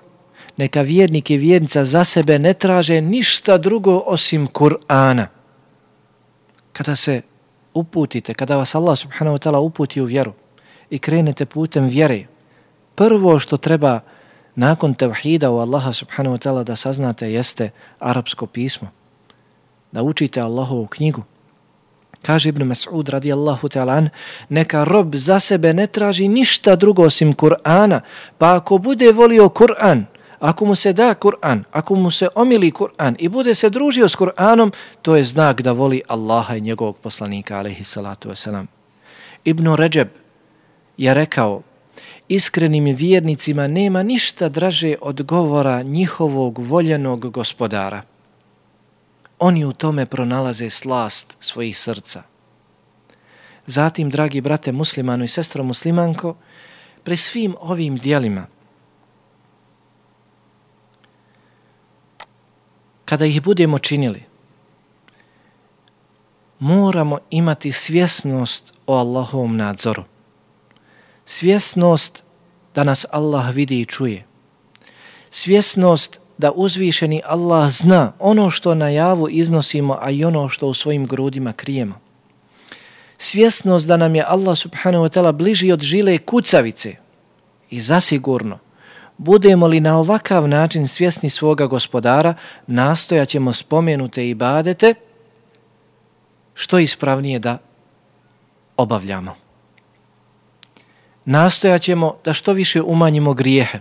neka vjernik i vjernica za sebe ne traže ništa drugo osim Kur'ana. Kada se uputite, kada vas Allah subhanahu wa ta'ala uputi u vjeru i krenete putem vjere, prvo što treba nakon tevhida u Allaha subhanahu wa ta'ala da saznate jeste arapsko pismo. Da učite Allahovu knjigu, Kaže Ibn Mas'ud radijallahu ta'ala an, neka rob za sebe ne traži ništa drugo osim Kur'ana, pa ako bude volio Kur'an, ako mu se da Kur'an, ako mu se omili Kur'an i bude se družio s Kur'anom, to je znak da voli Allaha i njegovog poslanika, alejhi salatu vesselam. Ibn Ređeb je rekao, iskrenim vjernicima nema ništa draže od govora njihovog voljenog gospodara. Oni u tome pronalaze slast svojih srca. Zatim, dragi brate muslimanu i sestro muslimanko, pri svim ovim dijelima, kada ih budemo činili, moramo imati svjesnost o Allahovom nadzoru. Svjesnost da nas Allah vidi i čuje. Svjesnost da uzvišeni Allah zna ono što na javu iznosimo, a i ono što u svojim grudima krijemo. Svjesnost da nam je Allah subhanahu wa ta'ala bliži od žile kucavice. I zasigurno, budemo li na ovakav način svjesni svoga gospodara, nastojat ćemo spomenute ibadete što ispravnije da obavljamo. Nastojat ćemo da što više umanjimo grijehe,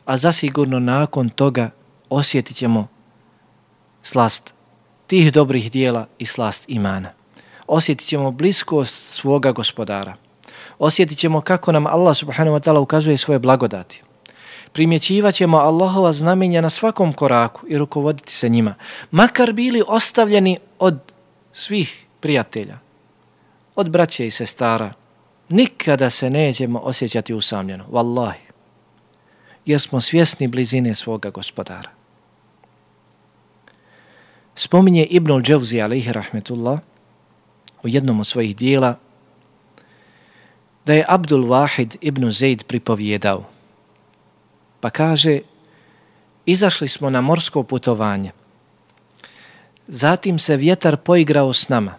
a zasigurno nakon toga osjetit ćemo slast tih dobrih dijela i slast imana. Osjetit ćemo bliskost svoga gospodara. Osjetit ćemo kako nam Allah subhanahu wa ta'ala ukazuje svoje blagodati. Primjećivat ćemo Allahova znamenja na svakom koraku i rukovoditi se njima, makar bili ostavljeni od svih prijatelja, od braće i sestara. Nikada se nećemo osjećati usamljeno, vallahi, jer smo svjesni blizine svoga gospodara. Spominje Ibnul Džavzi alejhi rahmetullah u jednom od svojih dijela da je Abdul Wahid ibn Zaid pripovjedao. Pa kaže, izašli smo na morsko putovanje. Zatim se vjetar poigrao s nama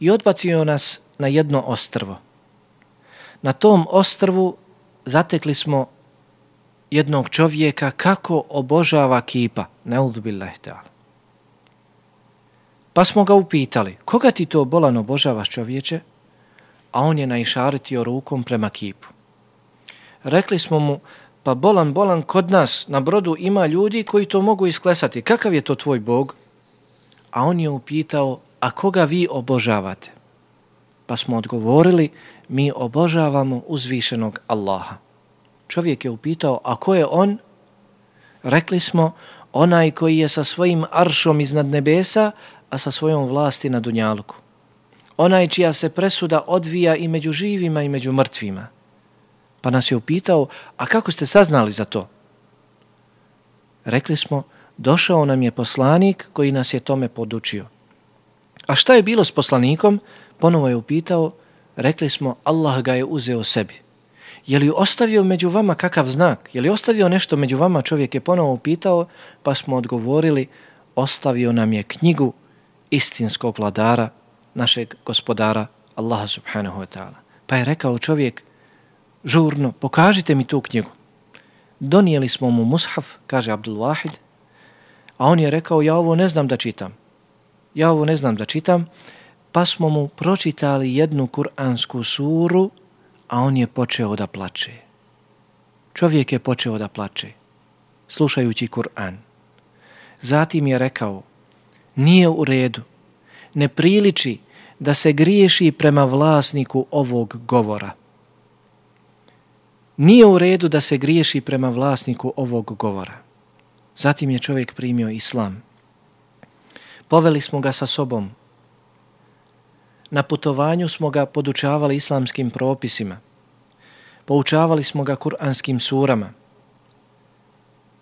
i odbacio nas na jedno ostrvo. Na tom ostrvu zatekli smo jednog čovjeka kako obožava kipa. Ne'udhu billahi ta'ala. Pa smo ga upitali, koga ti to bolan obožavaš, čovječe? A on je naišaretio rukom prema kipu. Rekli smo mu, pa bolan, kod nas na brodu ima ljudi koji to mogu isklesati. Kakav je to tvoj Bog? A on je upitao, a koga vi obožavate? Pa smo odgovorili, mi obožavamo uzvišenog Allaha. Čovjek je upitao, a ko je on? Rekli smo, onaj koji je sa svojim aršom iznad nebesa, a sa svojom vlasti na dunjaluku. Onaj čija se presuda odvija i među živima i među mrtvima. Pa nas je upitao, a kako ste saznali za to? Rekli smo, došao nam je poslanik koji nas je tome podučio. A šta je bilo s poslanikom? Ponovo je upitao, rekli smo, Allah ga je uzeo sebi. Je li ostavio među vama kakav znak? Je li ostavio nešto među vama? Čovjek je ponovo upitao, pa smo odgovorili, ostavio nam je knjigu istinskog vladara, našeg gospodara, Allaha subhanahu wa ta'ala. Pa je rekao čovjek, žurno, pokažite mi tu knjigu. Donijeli smo mu mushaf, kaže Abdul Wahid, a on je rekao, ja ovo ne znam da čitam, pa smo mu pročitali jednu kuransku suru, a on je počeo da plače. Čovjek je počeo da plače, slušajući Kur'an. Zatim je rekao, nije u redu, ne priliči da se griješi prema vlasniku ovog govora. Nije u redu da se griješi prema vlasniku ovog govora. Zatim je čovjek primio islam. Poveli smo ga sa sobom. Na putovanju smo ga podučavali islamskim propisima. Poučavali smo ga kuranskim surama.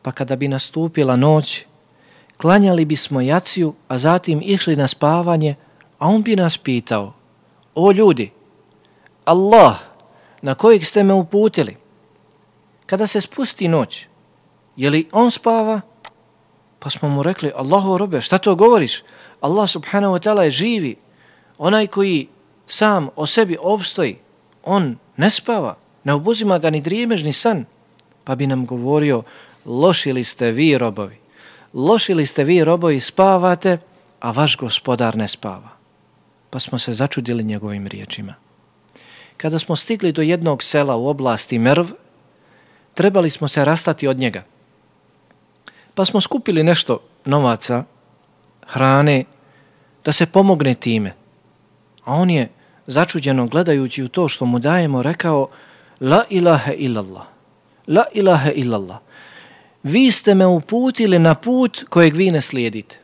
Pa kada bi nastupila noć, klanjali bismo jaciju, a zatim išli na spavanje, a on bi nas pitao, o ljudi, Allah, na kojeg ste me uputili, kada se spusti noć, je li on spava? Pa smo mu rekli, Allahu robe, šta to govoriš? Allah subhanahu wa ta'ala je živi, onaj koji sam o sebi opstoji, on ne spava, ne obuzima ga ni drijemež ni san. Pa bi nam govorio, loši li ste vi robovi, spavate, a vaš gospodar ne spava. pa smo se začudili njegovim riječima. Kada smo stigli do jednog sela u oblasti Merv, trebali smo se rastati od njega. Pa smo skupili nešto novaca, hrane, da se pomogne time. A on je, začuđeno gledajući u to što mu dajemo, rekao: La ilaha illallah, la ilaha illallah. Vi ste me uputili na put kojeg vi ne slijedite.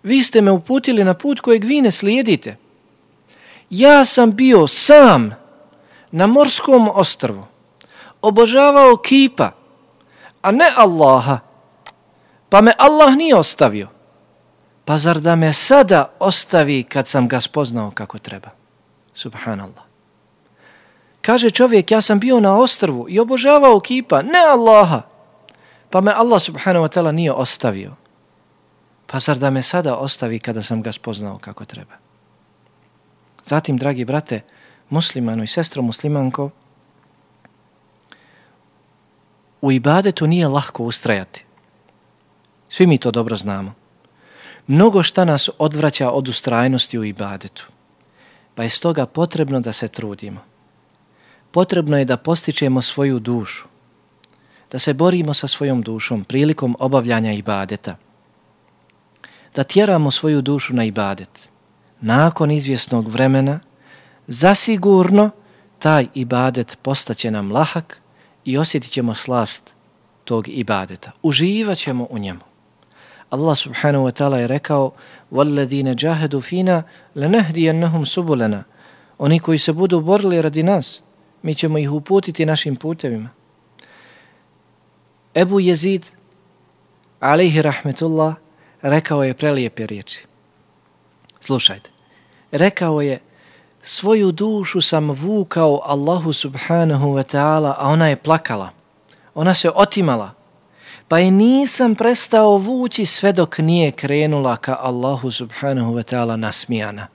Vi ste me uputili na put kojeg vi ne slijedite. Ja sam bio sam na morskom ostrvu, obožavao kipa, a ne Allaha, pa me Allah nije ostavio. Pa zar da me sada ostavi kad sam ga spoznao kako treba? Subhanallah. Kaže čovjek, ja sam bio na ostrvu i obožavao kipa, ne Allaha, pa me Allah subhanahu wa ta'ala nije ostavio. Pa zar da me sada ostavi kada sam ga spoznao kako treba? Zatim, dragi brate, muslimano i sestro muslimanko, u ibadetu nije lahko ustrajati. Svi mi to dobro znamo. Mnogo šta nas odvraća od ustrajnosti u ibadetu. Pa je stoga potrebno da se trudimo. Potrebno je da postičemo svoju dušu. Da se borimo sa svojom dušom prilikom obavljanja ibadeta. Da tjeramo svoju dušu na ibadet. Nakon izvjesnog vremena, zasigurno taj ibadet postaće nam lahak i osjetit ćemo slast tog ibadeta. Uživat ćemo u njemu. Allah subhanahu wa ta'ala je rekao: وَالَّذِينَ جَاهَدُوا فِينَا لَنَهْدِيَنَّهُمْ سُبُلَنَا. Oni koji se budu borili radi nas, mi ćemo ih uputiti našim putevima. Ebu Jezid, alejhi rahmetullah, rekao je prelijepe riječi. Slušajte. Rekao je: svoju dušu sam vukao Allahu subhanahu wa ta'ala, a ona je plakala. Ona se otimala. Pa je nisam prestao vući sve dok nije krenula ka Allahu subhanahu wa ta'ala nasmijana.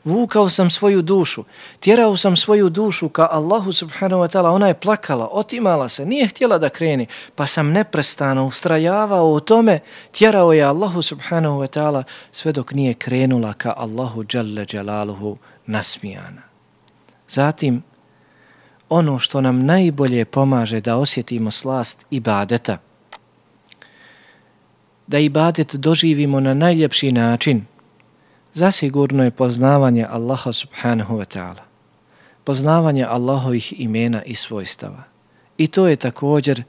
Vukao sam svoju dušu, tjerao sam svoju dušu ka Allahu subhanahu wa ta'ala, ona je plakala, otimala se, nije htjela da kreni, pa sam neprestano ustrajavao u tome, tjerao je Allahu subhanahu wa ta'ala sve dok nije krenula ka Allahu dželle dželaluhu nasmijana. Zatim, ono što nam najbolje pomaže da osjetimo slast ibadeta, da ibadet doživimo na najljepši način, zasigurno je poznavanje Allaha subhanahu wa ta'ala, poznavanje Allahovih imena i svojstava. I to je također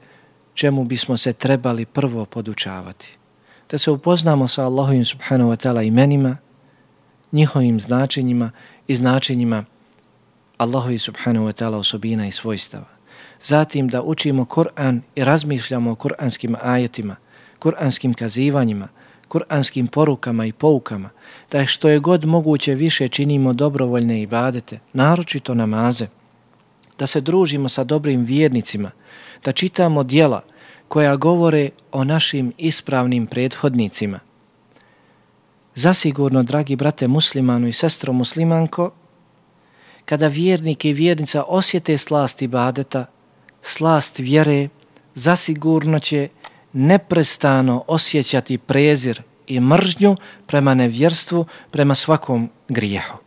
čemu bismo se trebali prvo podučavati. Da se upoznamo sa Allahovim subhanahu wa ta'ala imenima, njihovim značenjima i značenjima Allahovi subhanahu wa ta'ala osobina i svojstava. Zatim da učimo Kur'an i razmišljamo o kur'anskim ajetima, kur'anskim kazivanjima, kur'anskim porukama i poukama, da što je god moguće više činimo dobrovoljne ibadete, naročito namaze, da se družimo sa dobrim vjernicima, da čitamo djela koja govore o našim ispravnim prethodnicima. Zasigurno, dragi brate muslimanu i sestro muslimanko, kada vjernik i vjernica osjete slast ibadeta, slast vjere, zasigurno će neprestano osjećati prezir i mržnju prema nevjerstvu, prema svakom grijehu.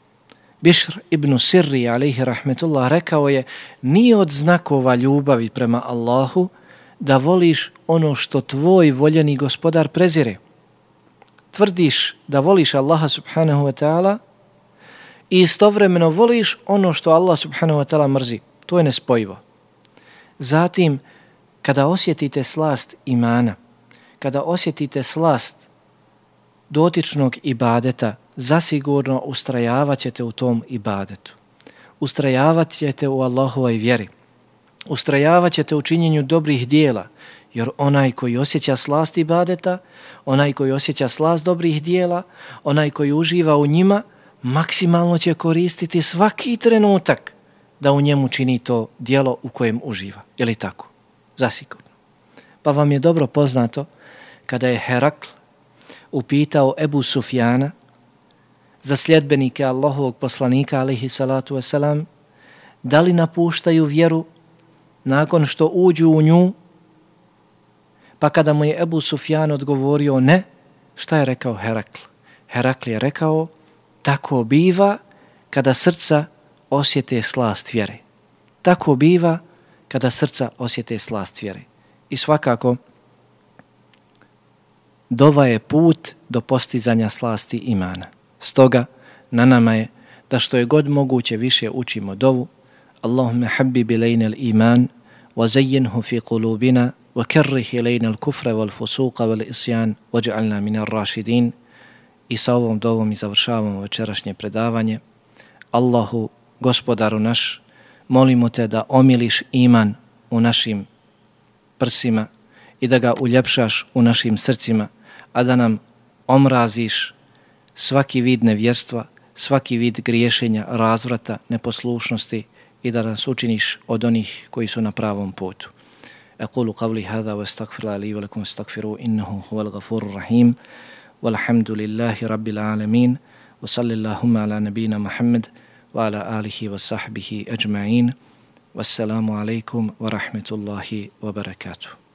Bišr ibn Sirri, alejhi rahmetullah, rekao je: nije od znakova ljubavi prema Allahu da voliš ono što tvoj voljeni gospodar prezire. Tvrdiš da voliš Allaha subhanahu wa ta'ala i istovremeno voliš ono što Allah subhanahu wa ta'ala mrzi. To je nespojivo. Zatim, kada osjetite slast imana, kada osjetite slast dotičnog ibadeta, zasigurno ustrajavat ćete u tom ibadetu. Ustrajavat ćete u Allahovoj vjeri. Ustrajavat ćete u činjenju dobrih dijela, jer onaj koji osjeća slast ibadeta, onaj koji osjeća slast dobrih dijela, onaj koji uživa u njima, maksimalno će koristiti svaki trenutak da u njemu čini to dijelo u kojem uživa. Je li tako? Zasigurno. Pa vam je dobro poznato kada je Herakl upitao Ebu Sufjana za sljedbenike Allahovog poslanika alejhi salatu vesselam da li napuštaju vjeru nakon što uđu u nju, pa kada mu je Ebu Sufjan odgovorio ne, šta je rekao Herakl? Heraklije rekao, tako biva kada srca osjete slast vjere. Tako biva kada srca osjete slast vjere. I svakako, dova je put do postizanja slasti imana. Stoga, na nama je da što je god moguće više učimo dovu. Allahumma habbib ilayna al-iman wa zayyinhu fi qulubina wa karrih ilayna al-kufra wal-fusuqa wal-isyan waj'alna min ar-rashidin. I sa ovom dovom i završavamo večerašnje predavanje. Allahu, gospodaru naš, molimo te da omiliš iman u našim prsima i da ga uljepšaš u našim srcima, a da nam omraziš svaki vid nevjerstva, svaki vid griješenja, razvrata, neposlušnosti i da nas učiniš od onih koji su na pravom putu. Aqulu qavli hada wa astaghfirullaha li wa lakum astaghfiruhu innahu huwal ghafurur rahim. Walhamdulillahi rabbil alamin. Wa sallallahu ala nabina Muhammad wa ala alihi wa sahbihi ajma'in. Wassalamu alaikum wa rahmetullahi wa barakatuh.